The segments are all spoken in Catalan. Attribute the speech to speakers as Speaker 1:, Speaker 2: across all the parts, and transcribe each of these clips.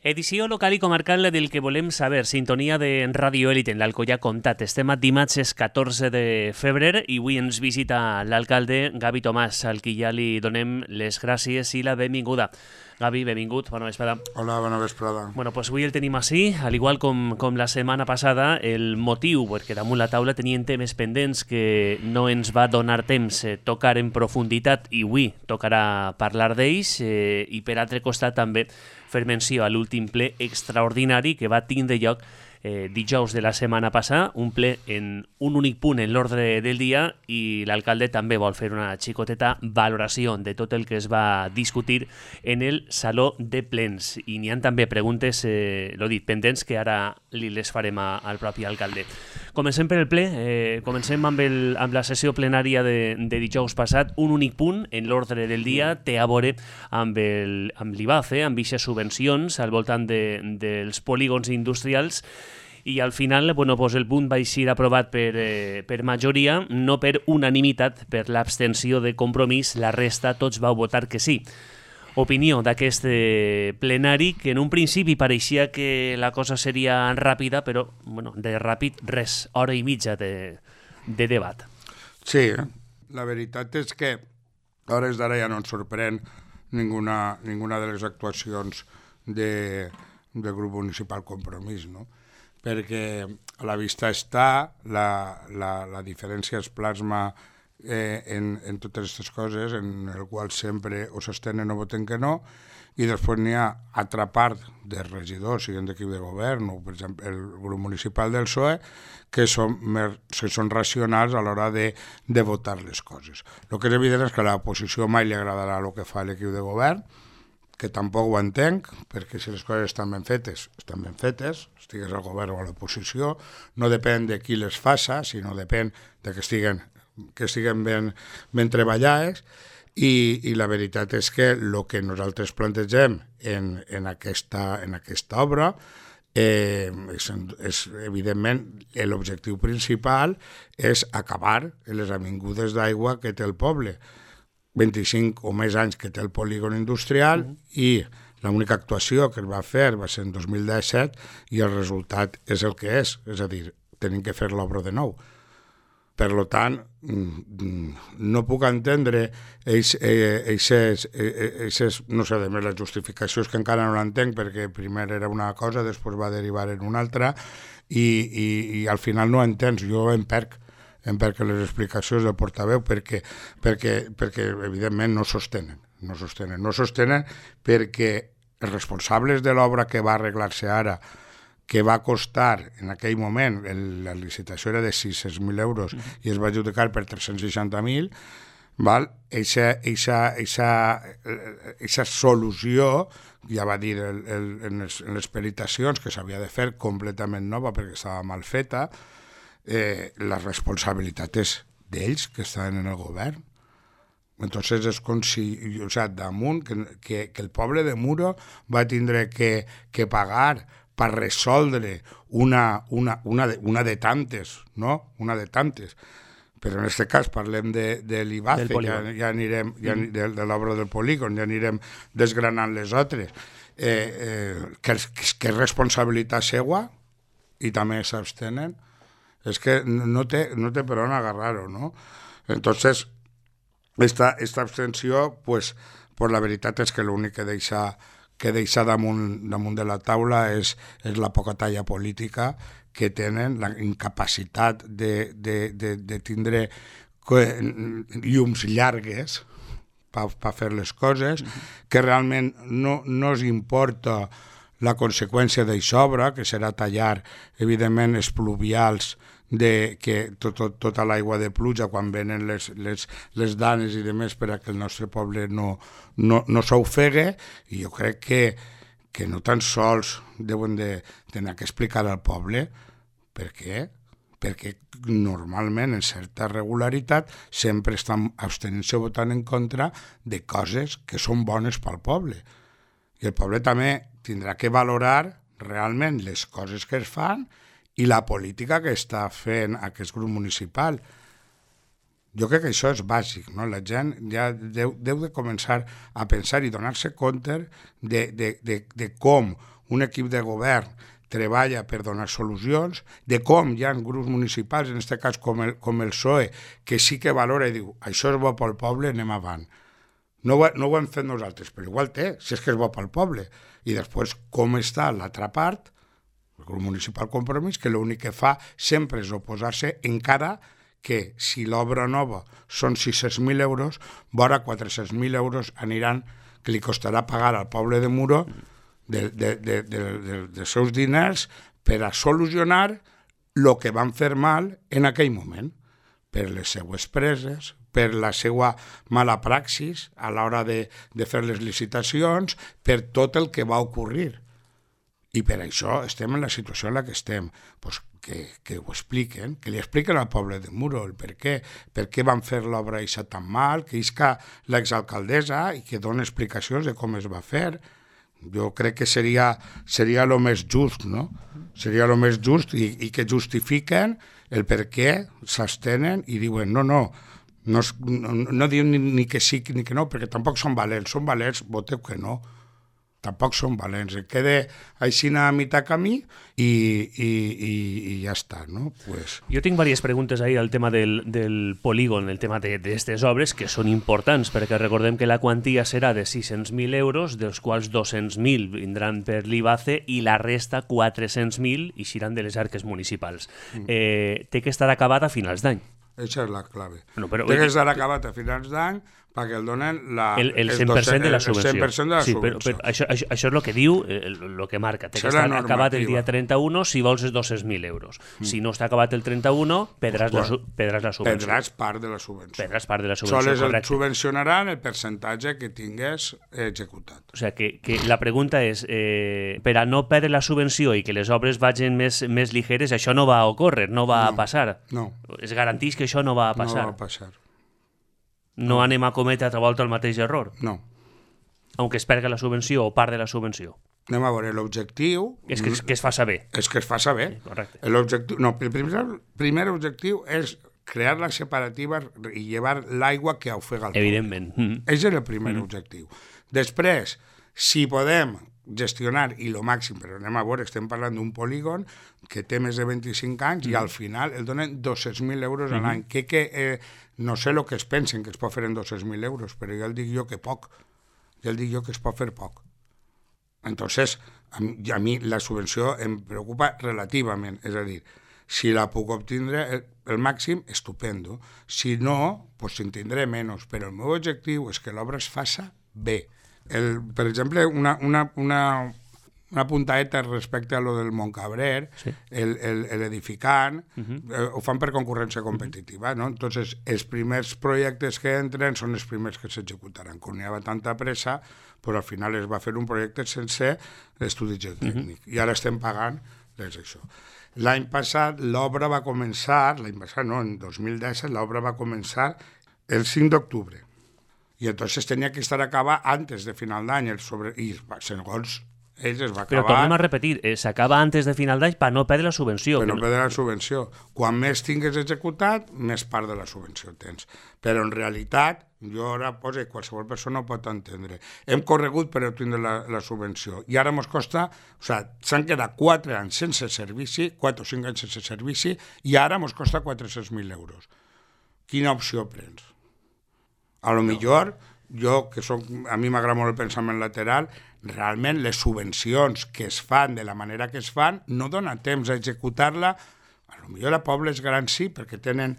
Speaker 1: Edició local i comarcal del que volem saber. Sintonia de Radio Élite en l'Alcoià Comtat. Estem a dimarts 14 de febrer i avui ens visita l'alcalde Gavi Tomàs, al qui ja li donem les gràcies i la benvinguda. Gavi, benvingut, bona vesprada.
Speaker 2: Hola, bona vesprada.
Speaker 1: Bueno, pues avui el tenim així, al igual com la setmana passada. El motiu, perquè damunt la taula tenien temes pendents que no ens va donar temps tocar en profunditat i avui tocarà parlar d'ells i per altre costat també fer menció a l'últim ple extraordinari que va tindre lloc dijous de la setmana passada, un ple en un únic punt en l'ordre del dia i l'alcalde també vol fer una xicoteta valoració de tot el que es va discutir en el Saló de Plens. I n'hi ha també preguntes, l'ho dit, pendents, que ara li les farem al propi alcalde. Comencem per el ple, comencem amb la sessió plenària de dijous passat, un únic punt en l'ordre del dia, té a veure amb l'IBACE, amb aquestes subvencions al voltant dels polígons industrials, i al final el punt va ser aprovat per majoria, no per unanimitat, per l'abstenció de Compromís, la resta tots vau votar que sí. Opinió d'aquest plenari, que en un principi pareixia que la cosa seria ràpida, però de ràpid res, hora i mitja de debat.
Speaker 2: Sí, la veritat és que a hores d'ara ja no ens sorprèn ninguna de les actuacions del grup municipal Compromís, no? Perquè a la vista està, la diferència es plasma en totes aquestes coses, en el qual sempre o s'estenen o voten que no, i després n'hi ha altra part de regidors, siguin d'equip de govern, o per exemple el grup municipal del PSOE, que són racionals a l'hora de votar les coses. El que és evident és que a l'oposició mai li agradarà el que fa l'equip de govern, que tampoc ho entenc, perquè si les coses estan ben fetes, estigués al govern o a l'oposició, no depèn de qui les faça, sinó depèn de que estiguen ben treballades, i la veritat és que el que nosaltres plantegem en aquesta obra és evidentment l'objectiu principal és acabar les avingudes d'aigua que té el poble. 25 o més anys que té el polígon industrial i l'única actuació que es va fer va ser en 2017 i el resultat és el que és a dir, tenim que fer l'obra de nou. Per tant, no puc entendre no sé, a més les justificacions que encara no l'entenc perquè primer era una cosa, després va derivar en una altra i al final no entens, jo em perc les explicacions del portaveu perquè evidentment no sostenen perquè els responsables de l'obra que va arreglar-se ara, que va costar en aquell moment, la licitació era de 600.000 euros i es va adjudicar per 360.000, aquesta solució, ja va dir en les peritacions que s'havia de fer completament nova perquè estava mal feta, la responsabilitat és d'ells que estan en el govern. Entonces és com si, damunt, que el poble de Muro va tindre que pagar per resoldre una de tantes, no? Una de tantes. Però en aquest cas parlem de l'IBACE, ja anirem, de l'obra del polígon, ja anirem desgranant les altres. Que és responsabilitat seva i també s'abstenen. És que no té per on agarrar-ho, no? Entonces, esta abstenció, pues la veritat és que l'únic que deixa damunt de la taula és la poca talla política que tenen, la incapacitat de tindre llums llargues per fer les coses, que realment no els importa la conseqüència d'això obra, que serà tallar, evidentment, els pluvials que tota l'aigua de pluja quan venen les danes i demés per a que el nostre poble no s'ofegue, i jo crec que no tan sols deuen d'anar a explicar al poble per què, perquè normalment en certa regularitat sempre estan abstenint-se o votant en contra de coses que són bones pel poble, i el poble també tindrà que valorar realment les coses que es fan i la política que està fent aquest grup municipal. Jo crec que això és bàsic, no? La gent ja deu de començar a pensar i donar-se compte de com un equip de govern treballa per donar solucions, de com hi ha grups municipals, en aquest cas com el PSOE, que sí que valora i diu això és bo pel poble, anem avant. No ho hem fet nosaltres, però igual si és que és bo pel poble. I després com està l'altra part, el grup municipal Compromís, que l'únic que fa sempre és oposar-se, encara que si l'obra nova són 600.000 euros, vora 400.000 euros aniran, que li costarà pagar al poble de Muro dels seus diners per a solucionar el que van fer mal en aquell moment, per les seues preses, per la seva mala praxis a l'hora de fer les licitacions, per tot el que va ocórrer. I per això estem en la situació en la que estem. Pues que ho expliquen, que li expliquen al poble de Muro el per què van fer l'obra això tan mal, que isca l'exalcaldessa i que dona explicacions de com es va fer. Jo crec que seria el més just, no? Seria el més just i que justifiquen el per què s'abstenen i diuen no diuen ni que sí ni que no, perquè tampoc són valents, voteu que no. Tampoc són valents, queda així a mitjà camí i ja està, no? Pues...
Speaker 1: Jo tinc diverses preguntes ahí al tema del polígon, el tema d'aquestes obres, que són importants, perquè recordem que la quantia serà de 600.000 euros, dels quals 200.000 vindran per l'IBACE i la resta, 400.000, ixiran de les arques municipals. Té que estar acabat a finals d'any.
Speaker 2: Això és la clave.
Speaker 1: No, però...
Speaker 2: Té que estar acabat a finals d'any perquè el donen
Speaker 1: el 100% de la subvenció.
Speaker 2: El 100% de la subvenció.
Speaker 1: Però això és el que diu, el que marca. Té que estar acabat el dia 31 si vols els 200.000 euros. Si no està acabat el 31, perdràs la subvenció.
Speaker 2: Perdràs part de la subvenció.
Speaker 1: Perdràs part de la subvenció,
Speaker 2: sols
Speaker 1: correcte.
Speaker 2: Et subvencionaran el percentatge que tingués executat.
Speaker 1: O sigui, que la pregunta és, per a no perdre la subvenció i que les obres vagin més ligeres, això no va a ocórrer, no va a passar.
Speaker 2: No.
Speaker 1: Es garanteix que això no va a passar.
Speaker 2: No va a passar.
Speaker 1: No anem a cometre altra volta el mateix error?
Speaker 2: No.
Speaker 1: Aunque es perga la subvenció o part de la subvenció.
Speaker 2: Anem a veure l'objectiu...
Speaker 1: És que es fa saber.
Speaker 2: És que es fa saber.
Speaker 1: Correcte.
Speaker 2: El primer objectiu és crear la separativa i llevar l'aigua que ofega el poble.
Speaker 1: Evidentment.
Speaker 2: Aquest és el primer objectiu. Després, si podem gestionar, i el màxim, però anem a veure, estem parlant d'un polígon que té més de 25 anys i al final el donen 200.000 euros a l'any. No sé el que es pensen que es pot fer en 200.000 euros, però ja el dic jo que poc. Ja el dic jo que es pot fer poc. Entonces, a mi la subvenció em preocupa relativament, és a dir, si la puc obtindre el màxim, estupendo. Si no, pues en tindré menys, però el meu objectiu és que l'obra es faça bé. Per exemple, una puntadeta respecte a lo del Montcabrer, sí. L'edificant, ho fan per concurrència competitiva, no? Entonces, els primers projectes que entren són els primers que s'executaran. Com hi havia tanta pressa, però al final es va fer un projecte sense estudi geotècnic. I ara estem pagant això. L'any passat l'obra va començar, en 2017 l'obra va començar el 5 d'octubre. I entonces tenia que estar acabada antes de final d'any, i segons ells es va acabar...
Speaker 1: Però tornem a repetir, s'acaba antes de final d'any per no perdre la subvenció.
Speaker 2: Per no perdre la subvenció. Quan més tingues executat, més part de la subvenció tens. Però en realitat, jo ara poso, qualsevol persona ho pot entendre. Hem corregut per obtenir la subvenció i ara ens costa, s'han quedat 4 anys sense servici, 4 o 5 anys sense servici, i ara ens costa 400.000 euros. Quina opció prens? A lo millor, jo, a mi m'agrada molt el pensament lateral, realment les subvencions que es fan de la manera que es fan no dona temps a executar-la. A lo millor a pobles grans sí, perquè tenen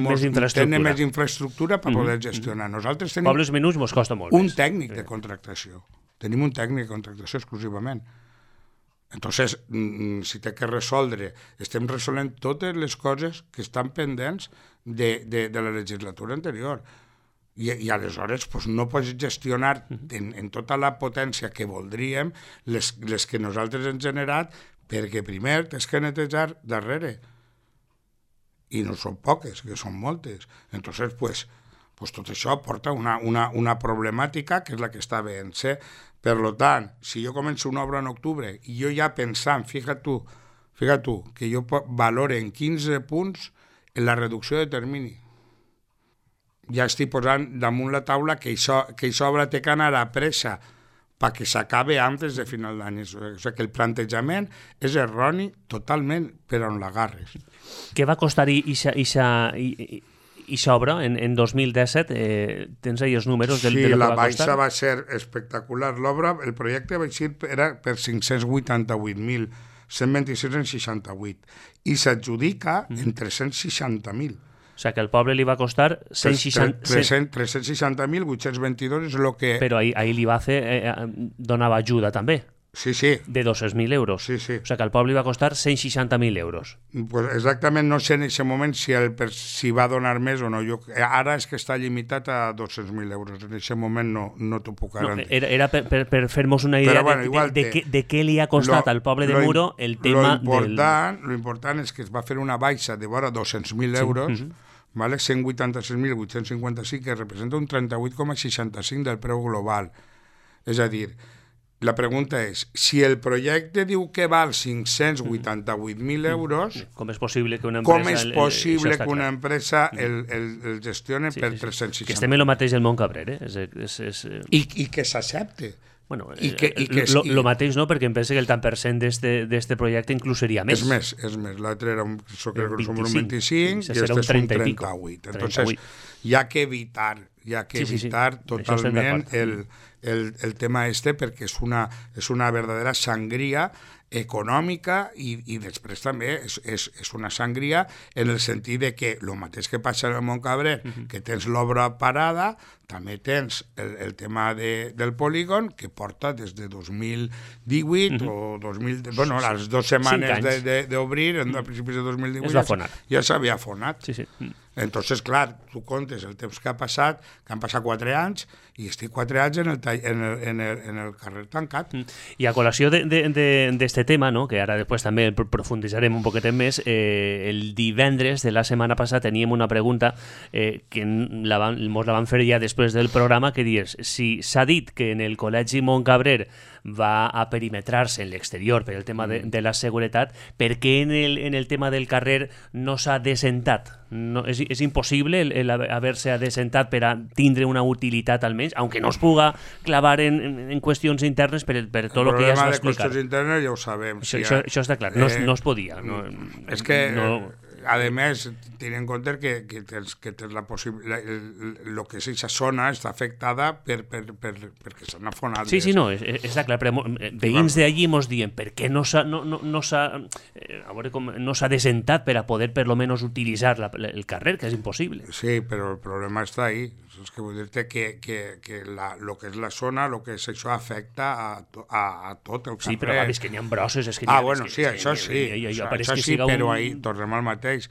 Speaker 2: més infraestructura per poder gestionar. Nosaltres tenim
Speaker 1: pobles menuts mos costa molt
Speaker 2: un tècnic de contractació. Tenim un tècnic de contractació exclusivament. Entonces, si té que resoldre, estem resolent totes les coses que estan pendents de la legislatura anterior. I aleshores no pots gestionar en tota la potència que voldríem les que nosaltres hem generat, perquè primer tens que netejar darrere. I no són poques, que són moltes. Entonces, tot això porta una problemàtica que és la que està veient-se. Per tant, si jo començo una obra en octubre i jo ja pensant, fíjate tu, que jo valore en 15 punts en la reducció de termini, ja estic posant damunt la taula que aquesta obra té que anar a pressa perquè s'acabe antes de final d'any. O sigui que el plantejament és erroni totalment per on l'agarres.
Speaker 1: Què va costar ixa obra en 2017? Tens ahí els números de lo que va costar?
Speaker 2: Sí, la baixa va ser espectacular. L'obra, el projecte era per 588.126,68 i s'adjudica en 360.000.
Speaker 1: O sigui que al poble li va costar
Speaker 2: 360.822 és el que...
Speaker 1: Però ahí l'IBACE donava ajuda també.
Speaker 2: Sí, sí.
Speaker 1: De 200.000 euros.
Speaker 2: Sí, sí.
Speaker 1: O sigui que al poble li va costar 160.000 euros.
Speaker 2: Pues exactament, no sé en aquest moment si va donar més o no. Ara és que està limitat a 200.000 euros. En aquest moment no t'ho puc garantir.
Speaker 1: Era per fer-nos una idea de què li ha costat al poble de Muro el tema
Speaker 2: Lo important és que es va fer una baixa de vora 200.000 euros, vale? 186.855, que representa un 38,65 del preu global. És a dir, la pregunta és, si el projecte diu que val 588.000 euros,
Speaker 1: com és possible que una
Speaker 2: empresa el gestioni per 360?
Speaker 1: Que estem en el mateix del Montcabrer,
Speaker 2: I que s'accepte.
Speaker 1: Bueno, lo mateix no, perquè em pensa que el tant per cent d'este projecte inclús seria més.
Speaker 2: És més. L'altre era un 25 i este és un 38. Entonces, hi ha que evitar totalment el tema perquè és una verdadera sangria econòmica i després també és una sangria en el sentit de que el mateix que passa en el Montcabrer, que tens l'obra parada, també tens el tema del polígon, que porta des de 2018 o 2000... Bueno, les 2 setmanes d'obrir, a principis de 2018, ja s'havia afonat.
Speaker 1: Sí.
Speaker 2: Entonces, clar, tu comptes el temps que ha passat, que han passat 4 anys, i estic 4 anys en el carrer tancat.
Speaker 1: I a col·lació d'este tema, no? Que ara després també profunditzarem un poquet més, el divendres de la setmana passada teníem una pregunta que mos la van fer ja després del programa, que dius, si s'ha dit que en el Col·legi Montcabrer va a perimetrar-se en l'exterior per el tema de la seguretat, per què en el tema del carrer no s'ha desentat? No, és impossible haver-se desentat per a tindre una utilitat almenys, aunque no es puga clavar en qüestions internes per tot el que ja es va explicar.
Speaker 2: El problema de qüestions internes ja ho sabem.
Speaker 1: Això està clar, no es podia.
Speaker 2: És que... A més, tenint en compte que tens la possibilitat, el que és aquesta zona està afectada perquè s'han afonat.
Speaker 1: Sí, no, està clar, però veïns d'allí mos diuen per què no s'ha desentat per a poder per lo menos utilitzar el carrer, que és impossible.
Speaker 2: Sí, però el problema està ahí. És que vull dir-te que lo que és la zona, lo que és això afecta a tot el carrer.
Speaker 1: Sí, però és que n'hi ha brosses.
Speaker 2: Bueno, sí, això sí. Això sí, però ahí tornem al mateix.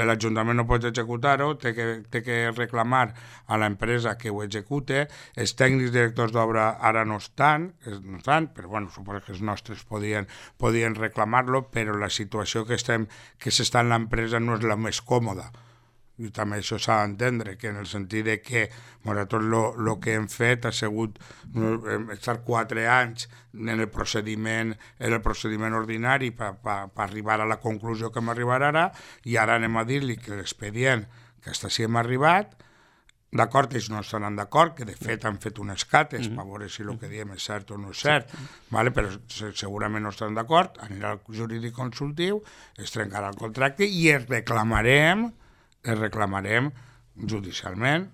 Speaker 2: L'Ajuntament no pot executar-ho, té que reclamar a l'empresa que ho execute. Els tècnics directors d'obra ara no estan, però bueno, suposo que els nostres podien reclamar-lo, però la situació que s'està en l'empresa no és la més còmoda. I també això s'ha d'entendre, que en el sentit de que nosaltres el que hem fet ha sigut estar 4 anys en el procediment ordinari per arribar a la conclusió que hem arribat ara, i ara anem a dir-li que l'expedient que hasta si hem arribat, d'acord, ells no estaran d'acord, que de fet han fet unes cates per veure si el que diem és cert o no és cert, però segurament no estaran d'acord, anirà al jurídic consultiu, es trencarà el contracte i es reclamarem judicialment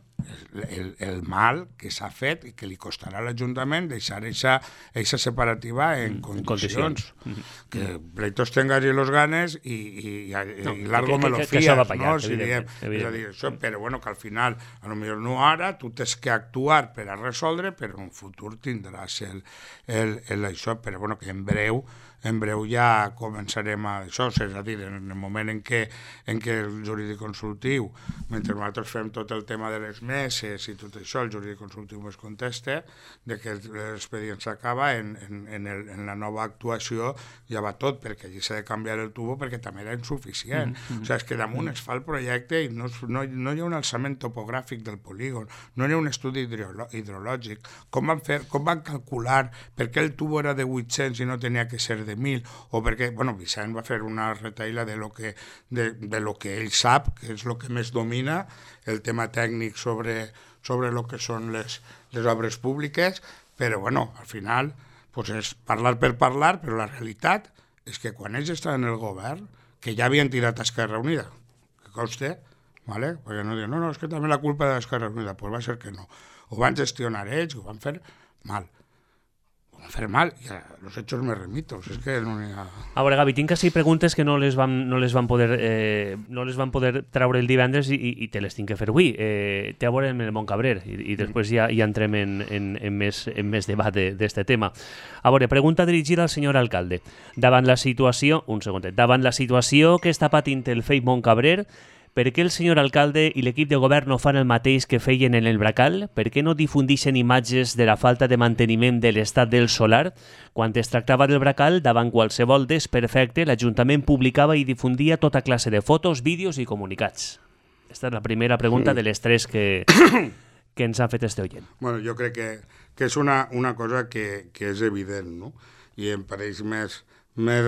Speaker 2: el mal que s'ha fet i que li costarà a l'Ajuntament deixar eixa separativa en condicions. Que pleitos tengas y los ganes y largo me lo fías, no? És a dir, això, però bueno, que al final, a lo millor no ara, tu tens que actuar per a resoldre, però en un futur tindràs això, però bueno, que en breu ja començarem a això, és a dir, en el moment en què el jurídic consultiu, mentre nosaltres fem tot el tema de les meses i tot això, el jurídic consultiu ens contesta de que l'expedient s'acaba, en la nova actuació ja va tot, perquè allí s'ha de canviar el tubo perquè també era insuficient. O sigui, és que damunt es fa el projecte i no hi ha un alçament topogràfic del polígon, no hi ha un estudi hidrològic. Com van calcular per què el tubo era de 800 i no tenia que ser de 1.000, o perquè, bueno, Vicent va fer una retaïla de lo que ell sap, que és el que més domina, el tema tècnic sobre el que són les obres públiques, però bueno, al final pues és parlar per parlar, però la realitat és que quan ells estaven en el govern, que ja havien tirat a Esquerra Unida, que conste, ¿vale? Perquè no diuen, no, és que també la culpa de l'Esquerra Unida, pues va ser que no. Ho van gestionar ells, ho van fer mal. Y a los hechos me remito. Es que no hi ha...
Speaker 1: A veure, Gavi, tinc així preguntes que no les van poder traure el divendres i te les tinc que fer avui. Té a veure amb el Montcabrer i després ja entrem en més debat d'este tema. A veure, pregunta dirigida al senyor alcalde. Davant la situació que està patint el FEI Montcabrer, per què el senyor alcalde i l'equip de govern no fan el mateix que feien en el Bracal? Per què no difundixen imatges de la falta de manteniment de l'estat del solar? Quan es tractava del Bracal, davant qualsevol desperfecte, l'Ajuntament publicava i difundia tota classe de fotos, vídeos i comunicats. Aquesta és la primera pregunta de les tres que ens ha fet este oient.
Speaker 2: Bueno, jo crec que és una cosa que és evident, no? I em pareix més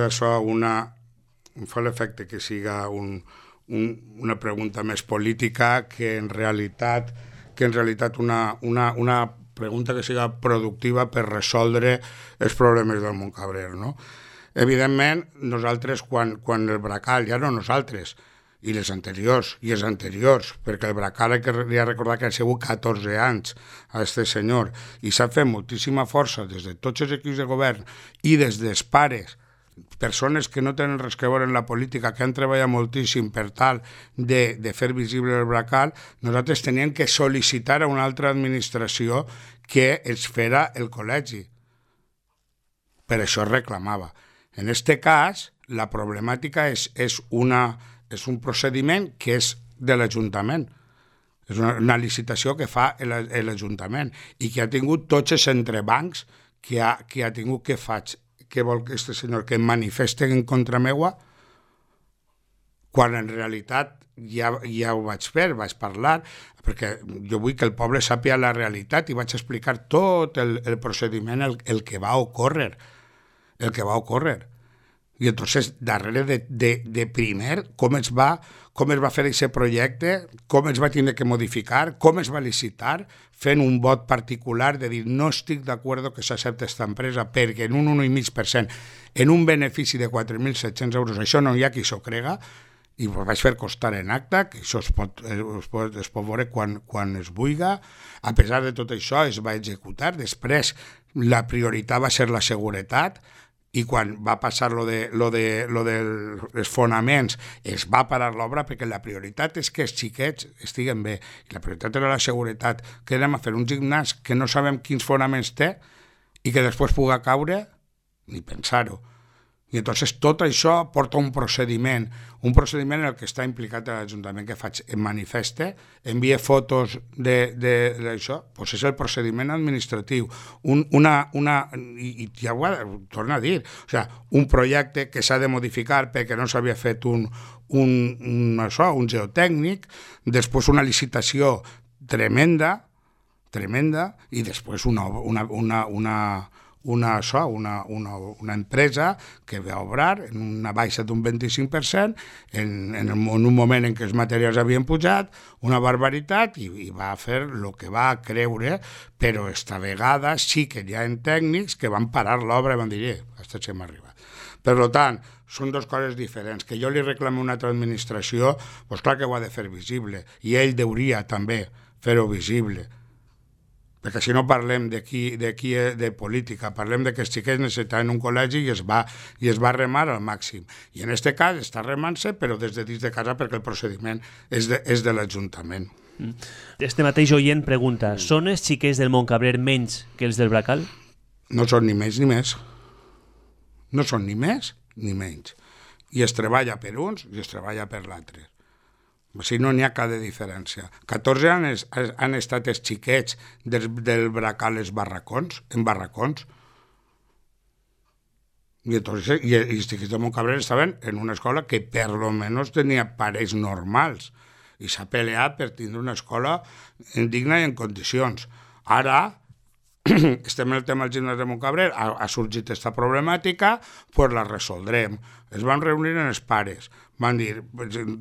Speaker 2: això em fa l'efecte que siga una pregunta més política que en realitat una pregunta que siga productiva per resoldre els problemes del Montcabrer, no? Evidentment, nosaltres, quan el Bracal, ja no nosaltres, i els anteriors, perquè el Bracal hay que recordar que ha sigut 14 anys a este senyor, i s'ha fet moltíssima força des de tots els equips de govern i des dels pares, persones que no tenen res que veure en la política, que han treballat moltíssim per tal de fer visible el Bracal, nosaltres teníem que sol·licitar a una altra administració que ens fera el col·legi. Per això es reclamava. En aquest cas, la problemàtica és un procediment que és de l'Ajuntament. És una licitació que fa l'Ajuntament i que ha tingut tots els entrebancs que ha tingut que faig. Què vol que este senyor que em manifesti en contra meua, quan en realitat ja ho vaig fer, vaig parlar, perquè jo vull que el poble sàpiga la realitat i vaig explicar tot el procediment, el que va ocórrer. I entonces, darrere de primer, com es va fer aquest projecte, com es va tindre que modificar, com es va licitar, fent un vot particular de dir no estic d'acord que s'accepti aquesta empresa perquè en un 1,5%, en un benefici de 4.700 euros, això no hi ha qui s'ho crega, i ho vaig fer constar en acta, que això es pot veure quan es vulga. A pesar de tot això es va executar. Després la prioritat va ser la seguretat, i quan va passar lo dels fonaments es va parar l'obra perquè la prioritat és que els xiquets estiguen bé. I la prioritat era la seguretat. Que anem a fer un gimnàs que no sabem quins fonaments té i que després puga caure? Ni pensar-ho. I entonces tot això porta un procediment en el que està implicat l'Ajuntament que faig, em manifeste, envia fotos d'això, doncs és el procediment administratiu. I ja ho torno a dir, o sigui, un projecte que s'ha de modificar perquè no s'havia fet un geotècnic, després una licitació tremenda, i després una empresa que va obrar en una baixa d'un 25% en un moment en què els materials havien pujat, una barbaritat, i va fer el que va creure, però esta vegada sí que hi ha tècnics que van parar l'obra i van dir, hasta que hem arribat. Per tant, són dues coses diferents. Que jo li reclami a una altra administració, doncs clar que ho ha de fer visible, i ell hauria també fer-ho visible. Perquè si no parlem de política, parlem de que els xiquets necessitaven un col·legi i es va remar al màxim. I en aquest cas està remant-se, però des de dins de casa perquè el procediment és de l'Ajuntament.
Speaker 1: Este mateix oient pregunta, són els xiquets del Montcabrer menys que els del Bracal?
Speaker 2: No són ni menys ni més. No són ni més ni menys. I es treballa per uns i es treballa per l'altre. Si no n'hi ha cap de diferència. 14 anys han estat els xiquets del Bracal en barracons. I els xiquets de Montcabrer estaven en una escola que per lo menos tenia parells normals i s'ha peleat per tindre una escola digna i en condicions. Ara estem en el tema del gimnàs de Montcabrer, ha sorgit aquesta problemàtica, doncs la resoldrem. Es van reunir en els pares, van dir,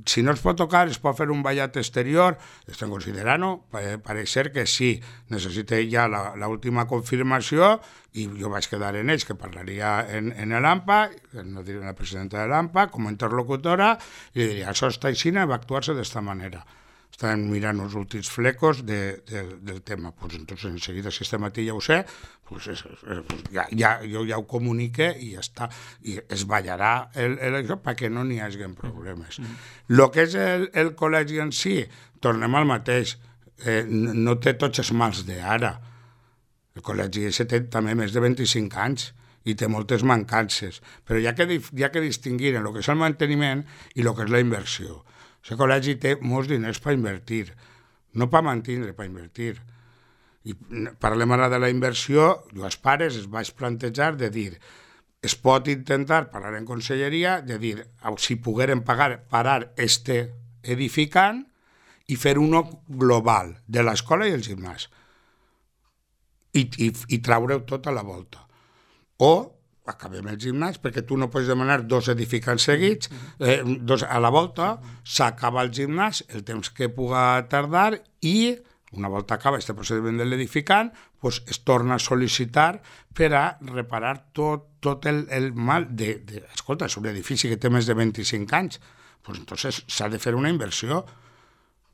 Speaker 2: si no es pot tocar, es pot fer un ballat exterior, estem considerant-ho, pareix ser que sí, necessité ja l'última confirmació, i jo vaig quedar en ells, que parlaria en l'AMPA, no diré la presidenta de l'AMPA, com a interlocutora, i diria, això està així, va actuar-se d'esta manera. Estan mirant els últims flecos del tema. Pues entonces, enseguida, si este matí ja ho sé, pues jo ja ho comunique i ja està. I es ballarà això perquè no n'hi hagi problemes. El que és el col·legi en si, tornem al mateix, no té tots els mals d'ara. El col·legi té també més de 25 anys i té moltes mancances, però hi ha que distingir en el que és el manteniment i el que és la inversió. El col·legi té molts diners per invertir, no per mantenir, per invertir. I parlem ara de la inversió, jo als pares es vaig plantejar de dir, es pot intentar parlar en conselleria, de dir, si pogueren parar este edificant i fer uno global de l'escola i el gimnàs i traure-ho tot a la volta. O acabem el gimnàs, perquè tu no pots demanar 2 edificants seguits, 2 a la volta, s'acaba el gimnàs, el temps que puga tardar, i una volta acaba aquest procediment de l'edificant, pues es torna a sol·licitar per a reparar tot el mal escolta, és un edifici que té més de 25 anys, pues entonces s'ha de fer una inversió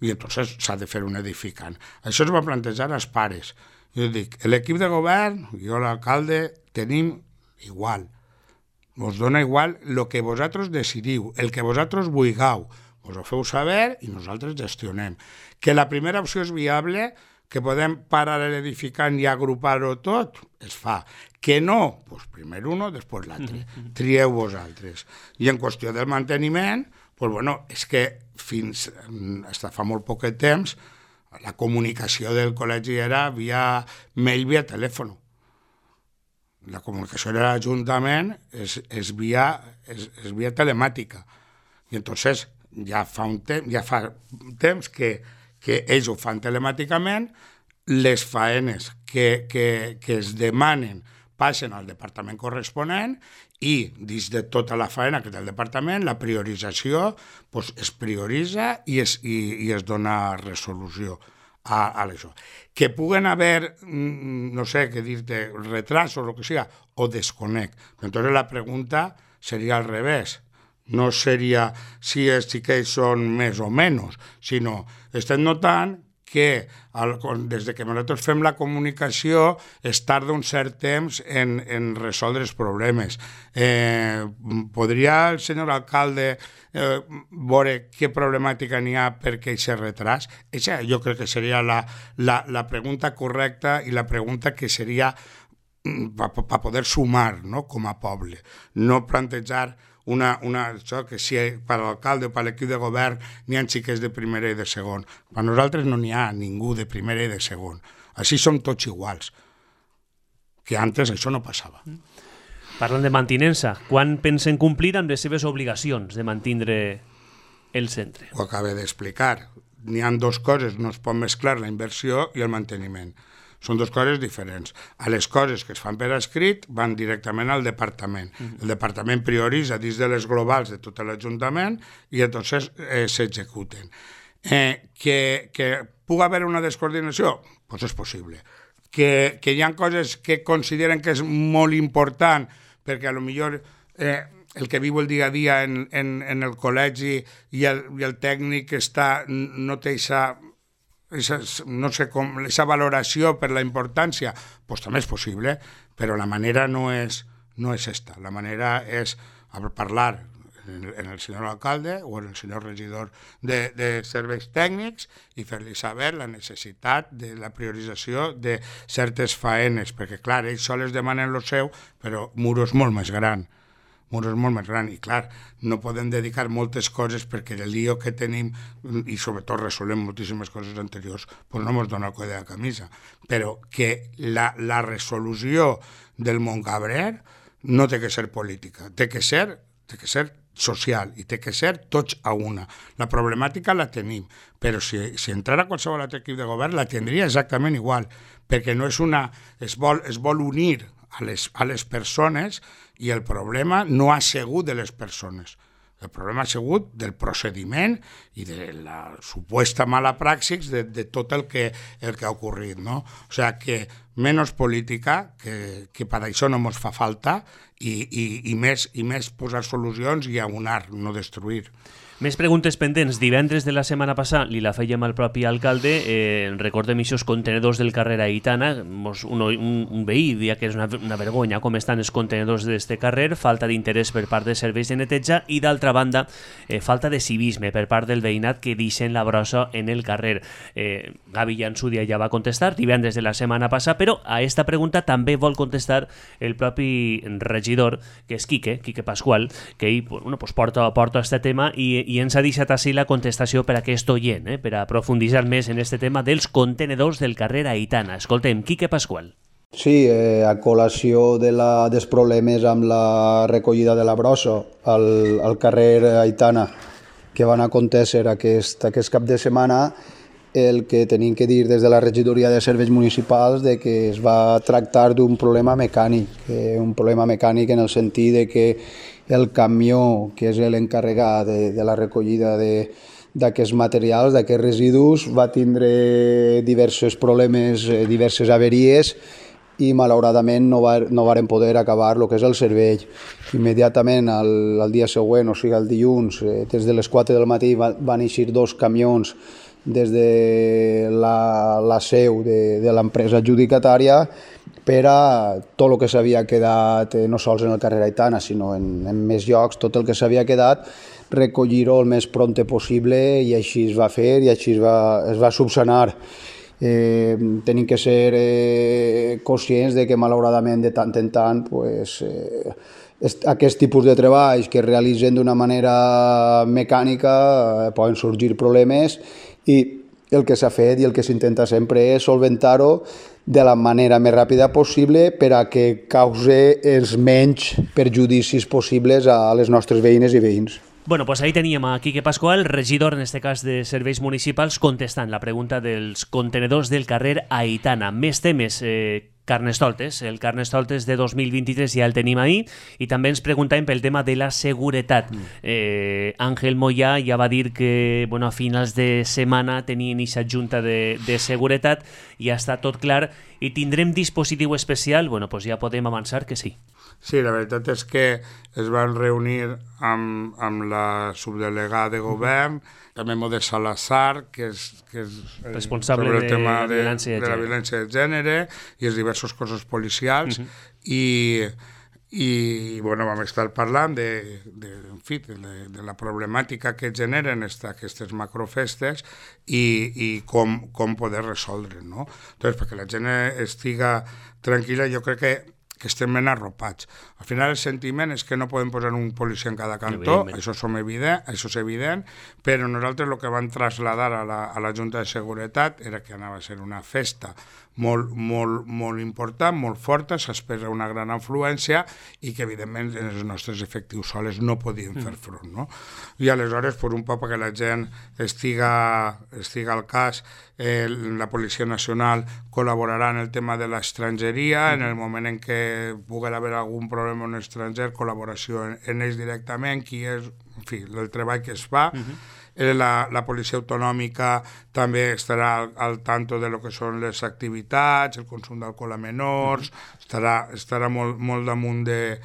Speaker 2: i entonces s'ha de fer un edificant. Això es va plantejar als pares. Jo dic, l'equip de govern, jo l'alcalde, tenim igual. Vos dona igual el que vosaltres decidiu, el que vosaltres vulgueu. Vos ho feu saber i nosaltres gestionem. Que la primera opció és viable, que podem parar l'edificant i agrupar-ho tot, es fa. Que no, doncs primer uno, després l'altre. Trieu vosaltres. I en qüestió del manteniment, doncs bueno, és que fins fa molt poc temps la comunicació del col·legi era via mail, via telèfon. La comunicació de l'Ajuntament és via telemàtica. I entonces ja fa temps que ells ho fan telemàticament, les faenes que es demanen passen al departament corresponent i dins de tota la faena que té el departament, la priorització es prioritza i es dona resolució a això. Que puguen haver, no sé què dir-te, retrasos o el que sigui, o desconec. Entonces la pregunta seria al revés. No seria si els xiquets són més o menys, sinó estem notant que des que nosaltres fem la comunicació es tarda un cert temps en resoldre els problemes. Podria el senyor alcalde veure què problemàtica n'hi ha perquè aquest retras? Això jo crec que seria la pregunta correcta i la pregunta que seria per poder sumar, no?, com a poble. No plantejar això que si per l'alcalde o per l'equip de govern n'hi ha xiquets de primera i de segon. Per nosaltres no n'hi ha ningú de primera i de segon. Així som tots iguals. Que antes això no passava.
Speaker 1: Parlant de mantinença, quan pensen complir amb les seves obligacions de mantindre el centre?
Speaker 2: Ho acabo d'explicar. N'hi ha 2 coses, no es pot mesclar la inversió i el manteniment. Són 2 coses diferents. A les coses que es fan per escrit van directament al departament. El departament prioritza dins de les globals de tot l'Ajuntament i entonces s'executen. Que pugui haver una descoordinació? Doncs és possible. Que hi ha coses que consideren que és molt important perquè potser el que viu el dia a dia en el col·legi i el tècnic no té aquesta valoració per la importància, doncs també és possible, però la manera no és esta. La manera és parlar en el senyor alcalde o en el senyor regidor de serveis tècnics i fer-li saber la necessitat de la priorització de certes faenes, perquè clar, ells sols demanen el seu, però Muro és molt més gran. I clar, no podem dedicar moltes coses perquè el lío que tenim i sobretot resolem moltíssimes coses anteriors doncs no ens dona el coll de la camisa, però que la resolució del Montcabrer no té que ser política, té que ser social i té que ser tots a una. La problemàtica la tenim, però si entrara qualsevol altre equip de govern la tindria exactament igual, perquè no és una... es vol unir a les persones i el problema no ha sigut de les persones. El problema ha sigut del procediment i de la suposta mala praxis de tot el que ha ocorrit, no? O sigui que menys política, que per això no ens fa falta, i més posar solucions i aunar, no destruir.
Speaker 1: Més preguntes pendents. Divendres de la setmana passada li la fèiem al propi alcalde. Recordem aquests contenedors del carrer Aitana. Un veí dia que és una vergonya com estan els contenedors d'este carrer, falta d'interès per part de serveis de neteja i, d'altra banda, falta de civisme per part del veïnat que deixen la brossa en el carrer. Gavi Llançudia ja va contestar divendres de la setmana passada, però a esta pregunta també vol contestar el propi regidor, que és Quique Pascual, que ell porta este tema i ens ha deixat així la contestació per a aquest oient, per a profunditzar més en este tema dels contenedors del carrer Aitana. Escoltem, Quique Pascual.
Speaker 3: Sí, a col·lació dels problemes amb la recollida de la brossa al carrer Aitana que van acontecer aquest cap de setmana, el que tenim que dir des de la regidoria de serveis municipals de que es va tractar d'un problema mecànic, en el sentit de que el camió, que és l'encarregat de la recollida d'aquests materials, d'aquests residus, va tindre diversos problemes, diverses averies, i malauradament no varen poder acabar el que és el servei. Immediatament, el dia següent, o sigui el dilluns, des de les 4 del matí van eixir 2 camions des de la seu de l'empresa adjudicatària per a tot el que s'havia quedat, no sols en el carrer Aitana, sinó en més llocs, tot el que s'havia quedat, recollir-ho el més prompte possible, i així es va fer i així es va subsanar. Tenim que ser conscients de que malauradament de tant en tant aquest tipus de treballs que es realitzen d'una manera mecànica poden sorgir problemes, i el que s'ha fet i el que s'intenta sempre és solventar-ho de la manera més ràpida possible per a que cause els menys perjudicis possibles a les nostres veïnes i veïns.
Speaker 1: Bueno, pues ahí teníem a Quique Pascual, regidor en este cas de serveis municipals, contestant la pregunta dels contenedors del carrer Aitana. Més temes, Carnestoltes. El Carnestoltes de 2023 ja el tenim ahí, i també ens preguntàvem pel tema de la seguretat. Àngel Moyà ja va dir que a finals de setmana tenien aquesta junta de seguretat, ja està tot clar, i tindrem dispositiu especial. Pues ja podem avançar que sí.
Speaker 2: Sí, la veritat és que es van reunir amb la subdelegada de govern, també Modest Salazar, que és
Speaker 1: responsable
Speaker 2: sobre el tema
Speaker 1: de la
Speaker 2: violència de gènere i els diversos cossos policials, i vam estar parlant de la problemàtica que generen aquestes macrofestes i com poder resoldre, no? Entonces, perquè la gent estiga tranquil·la, jo crec que estem ben arropats. Al final el sentiment és que no podem posar un policia en cada cantó, això és evident, però nosaltres el que vam traslladar a la Junta de Seguretat era que anava a ser una festa molt important, molt forta, s'espera una gran afluència i que evidentment els nostres efectius soles no podien fer front, no? I aleshores, per un poc que la gent estiga al cas, la Policia Nacional col·laborarà en el tema de l'estrangeria, en el moment en què pugui haver algun problema en estranger, col·laboració en ells directament, qui és, en fi, el treball que es fa. La policia autonòmica també estarà al tanto de lo que són les activitats, el consum d'alcohol a menors, estarà molt damunt de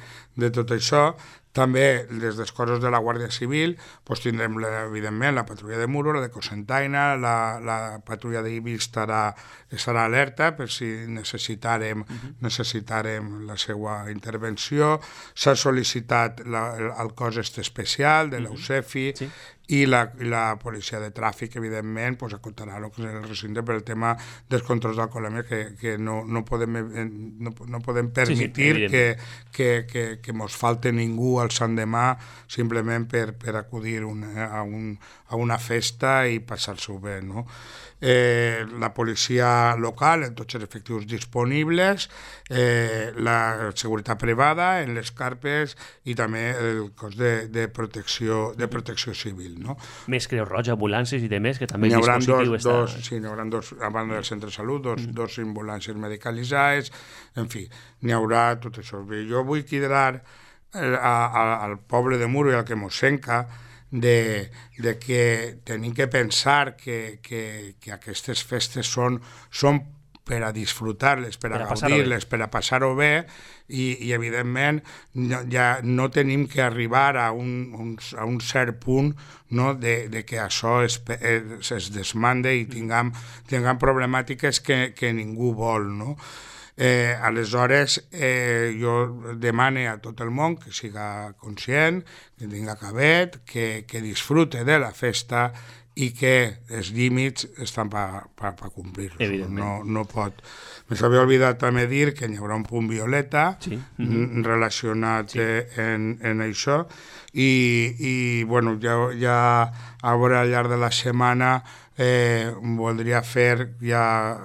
Speaker 2: tot això. També, des dels cossos de la Guàrdia Civil, tindrem, evidentment, la patrulla de Muro, la de Cocentaina, la patrulla d'Ibi estarà alerta per si necessitarem la seva intervenció. S'ha sol·licitat el cos especial de l'UCEFI, i la policia de tràfic, evidentment, acotarà el que és el recinte per el tema dels controls d'alcoholèmia, que no podem permetir que mos falte ningú el Sant Demà simplement per acudir a una festa i passar-s'ho bé, no? La policia local en tots els efectius disponibles, la seguretat privada en les carpes i també el cos de protecció civil, no?
Speaker 1: Més Creu Roja, ambulàncies i demés, que també
Speaker 2: N'hi
Speaker 1: el
Speaker 2: haurà
Speaker 1: dispositiu està...
Speaker 2: n'hi haurà dos, a banda del centre de salut, dos ambulàncies medicalitzades, en fi, n'hi haurà tot això. Jo vull cridar al poble de Muro i al que mos senca de que tenim que pensar que aquestes festes són per a disfrutar-les, per a gaudir-les, per a passar-ho bé, i evidentment ja no tenim que arribar a un cert punt, no, de que això es desmande i tinguem problemàtiques que ningú vol, no? Aleshores, jo demane a tot el món que siga conscient, que tinga cabet, que disfrute de la festa i que els límits estan per complir-los. No pot... M'havia oblidat també dir que hi haurà un punt violeta relacionat en això i bueno, ja a veure al llarg de la setmana voldria fer ja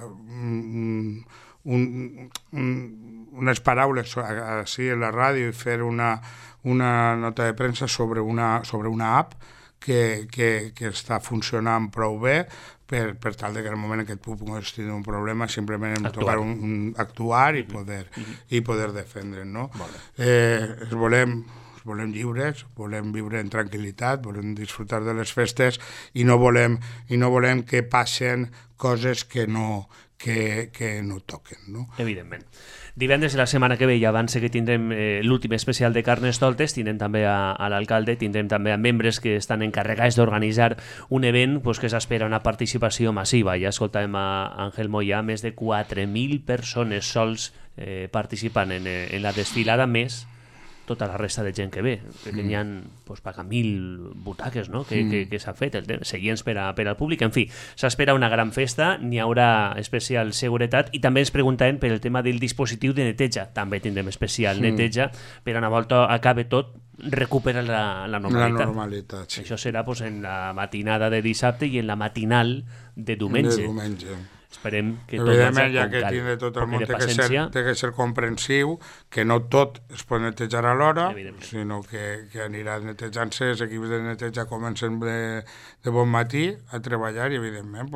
Speaker 2: unes paraules així a la ràdio i fer una nota de premsa sobre una app que està funcionant prou bé per tal que en el moment en què tu puguis tenir un problema simplement hem de tocar actuar i poder defendre, no? Volem lliures, volem viure en tranquil·litat, volem disfrutar de les festes i no volem que passen coses que no toquen, no?
Speaker 1: Evidentment. Divendres de la setmana que ve ja abans que tindrem l'últim especial de Carnestoltes, tindrem també a l'alcalde, tindrem també a membres que estan encarregats d'organitzar un event que s'espera una participació massiva. Ja escoltàvem a Àngel Moyà, més de 4.000 persones sols participant en la desfilada, més tota la resta de gent que ve, que n'hi ha pagar 1.000 butaques, no? que s'ha fet, seients per al públic. En fi, s'espera una gran festa, n'hi haurà especial seguretat i també ens preguntàvem per el tema del dispositiu de neteja. També tindrem especial neteja per una volta acabe tot recupera la normalitat.
Speaker 2: La normalitat, sí.
Speaker 1: Això serà en la matinada de dissabte i en la matinal de diumenge. Esperem que tot
Speaker 2: evidentment, ja que tindre tot el món té que ser comprensiu, que no tot es pot netejar alhora, sinó que anirà netejant-se, els equips de neteja comencen de bon matí a treballar i evidentment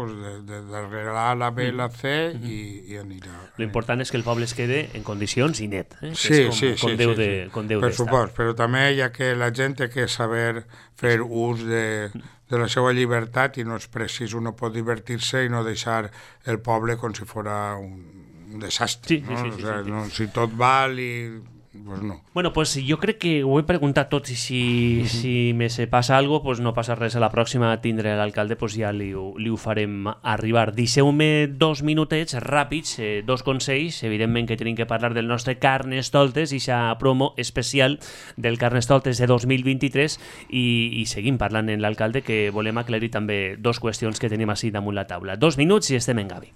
Speaker 2: de darrere la B i la C i anirà.
Speaker 1: L'important és que el poble es quede en condicions i net,
Speaker 2: Sí,
Speaker 1: com Déu d'estar.
Speaker 2: Per supost, però també ja que la gent té que saber fer ús de la seva llibertat i no és precís, uno pot divertir-se i no deixar el poble com si fos un desastre. Si tot val i... Pues no.
Speaker 1: Bueno, pues jo crec que ho he preguntat tot i si me se passa alguna cosa, pues no passa res. A la pròxima tindré l'alcalde, pues ja li ho farem arribar. Deixeu-me 2 minutets ràpids, 2 consells, evidentment que tenim que parlar del nostre Carnestoltes i aquesta promo especial del Carnestoltes de 2023 i seguim parlant amb l'alcalde, que volem aclarir també 2 qüestions que tenim així damunt la taula. 2 minuts i estem en Gavi.